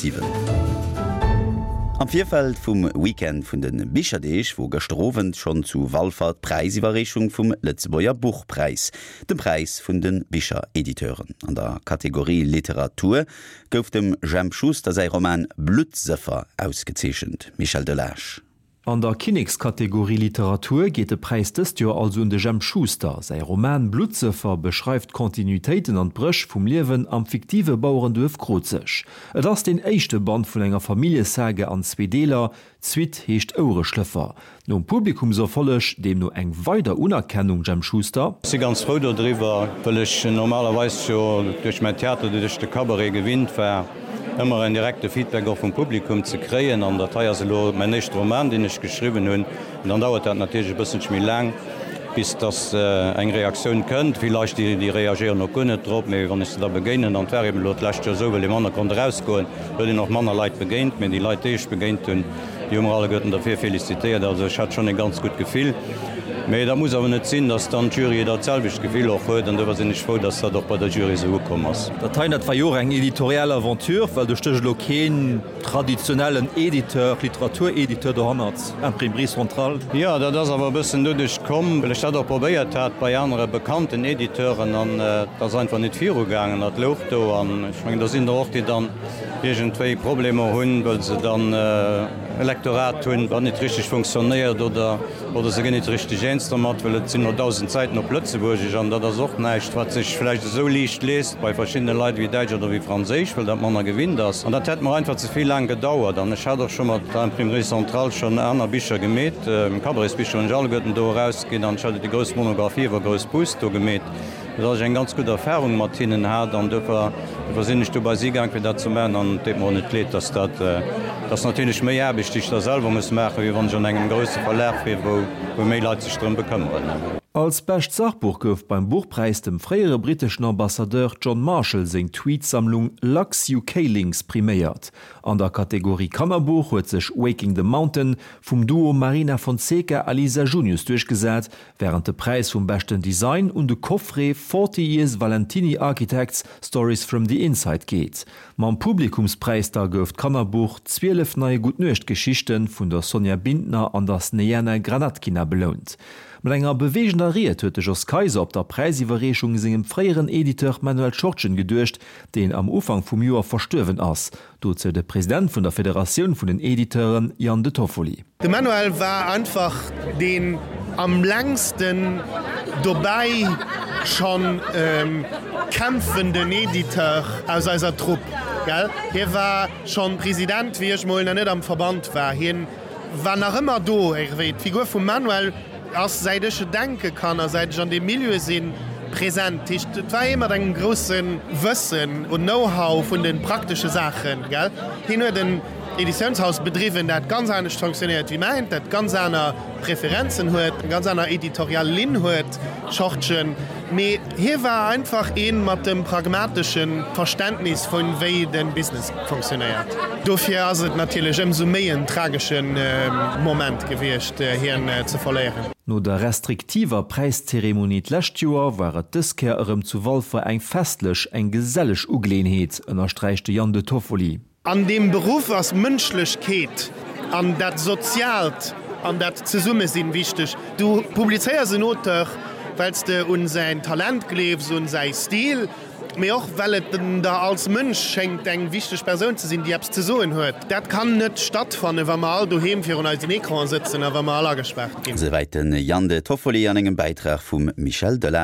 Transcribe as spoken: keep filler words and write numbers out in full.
siwen. Am Virfeld vum Weekend vun de Bicherdeeg wor gëschter Owend schonn zu Walfer d'Präisiwwerreechung vum Lëtzebuerger Buchpräis, dem Präis vun de Bicherediteuren. An der Kategorie Literatur gouf dem Jemp Schuster säi Roman Bluttsëffer ausgezeechent. Michel Delage. An der Kinnekskategorie Literatur geet de Präis dëst Joer also un de Jemp Schuster. Säi Roman Bluttsëffer beschreift d'Kontinuitéiten an d'Bréch vum Liewen am fiktive Bauerenduerf Krozeg. Et ass den éischte Band vun enger Familljesaga an zwee Deeler, d'Suite heescht Ouereschlëffer. Nom Publikumserfolleg deemno eng weider Unerkennung, Jemp Schuster? Ech si ganz frou dodriwwer, well ech normalerweis jo duerch mäin Theater oder duerch de Cabaret gewinnt war, ëmmer en direkte Feedback och vum Publikum ze kréien. An dat hei ass elo mäin éischte Roman, deen ech geschriwwen hunn. An dann dauert dat natierlech e bësselche méi laang, bis dass eng Reaktioun kënnt. Vill Leit, déi reagéieren och guer net drop. Mee wann ech se da begéinen, an et war eben elo d'lescht Joer esou, well ee manner konnt erausgoen, huet een och manner Leit begéint. Mee déi Leit, déi ech begéint hunn, déi hu mer alleguerten derfir felicitéiert. Also ech hat schonn e ganz gutt Gefill. Mee dat muss awer net sinn, dass dann d'Jury dat selwecht Gefill och huet. An dofir sinn ech frou, dass dat och bei der Jury esou ukomm ass. Dat hei, dat war jo och eng editorial Aventure, well do stécht elo keen traditionellen Editeur, Literaturediteur dohannert, Imprimerie Centrale. Jo, dat ass awer e bëssen doduerch komm, well ech dat och probéiert hat bei anere bekannten Editeuren an et ass einfach net virugaangen. Dat louch do an ech mengen, do sinn der och, déi dann iergendwéi Problemer hunn, well se dann e Lektorat hunn, wat net richteg funktionéiert oder oder se ginn net richteg eens dermat, well et sinn elo dausend Säiten op Lëtzebuergesch an dat ass och näischt, wat sech vläicht esou liicht liest bei verschiddene Leit wéi Däitsch oder wéi Franséisch, well dat manner gewinnt ass. An dat hätt mer einfach ze vill laang gedauert. An ech hat och scho mat der Imprimerie Centrale schonn aner Bicher gemeet, Cabaretsbicher hunn ech alleguerten do erausginn an ech hat jo déi grouss Monographie iwwer Grouss Bus do gemeet. Dass ech eng ganz gutt Erfahrung mat hinnen hat an duerfir sinn ech du bei si gaang fir dat ze maachen an et deet mer och net leed, dass dat, dat ass natierlech méi Aarbecht déi ech da selwer muss maachen, wéi wann ech an engem grousse Verlag wier, wou wou méi Leit sech drëm bekëmmeren. Als bescht Sachbuch gouf beim Buchpräis dem fréiere britteschen Ambassadeur John Marshall seng Tweetsammlung Lux UK Links priméiert. An der Kategorie Kannerbuch huet sech Waking the Mountain vum Duo Marina Fonseca a Lisa Junius duerchgesat, wärend de Präis vum beschten Design un de Coffret Forty Years Valentini Architects, Stories from the Inside geet. Mam Publikumspräis da gouf d'Kannerbuch Zwielef neie Gutt-Nuecht-Geschichten vun der Sonja Bindner an der Snejana Granatkina belount. Mat enger beweegender Ried huet de Jos Kayser op der Präisiwwerreechung sengem fréieren Editeur Manuel Schortgen geduecht, deen am Ufank vum Joer verstuerwen ass. Dozou de President vun der Federatioun vun den Editeuren, Jan De Toffoli. De Manuel war einfach deen am längsten dobäi schonn kämpfenden Editeur aus eiser Trupp, gell? Hie war schonn President, wéi ech mol nach net am Verband war. Hien war nach ëmmer do. Iergendwéi d'Figur vum Manuel ass, säit ech denke kann a säit ech an deem Milieu sinn, present. Dat heescht, et war ee mat engem grousse Wëssen un Know-how vun de praktesche Saachen, gell? Hien huet en Editiounshaus bedriwwen, dat ganz anescht fonctionnéiert wéi mäint, dat ganz aner Preferenzen huet, eng ganz aner editorial Linn huet, Schortgen. Mee hie war einfach ee mat dem pragmatesche Verständnis vu wéi de Business fonctionnéiert. Dofir ass et natierlech ëmsou méi en tragesche Moment gewiescht, hien ze verléieren. No der restriktiver Präiszeremonie d'lescht Joer war et dës Kéier erëm zu Walfer eng festlech, eng geselleg Ugeleeënheet, ënnersträicht de Jan De Toffoli. An deem Beruff ass Mënschlechkeet an dat Soziaalt an dat Zesummesinn wichteg. Du publizéiers en Auteur, well s de un säin Talent gleefs, un säi Stil, mee och well et der als Mënsch schéngt eng wichteg Persoun ze sinn, déi eppes ze soen huet. Dat kann net stattfannen, wa mer all doheem virun eisen Ecranen sëtzen a wa mer all agespaart ginn. Esouwäit de Jan De Toffoli an engem Bäitrag vum Michel Delage.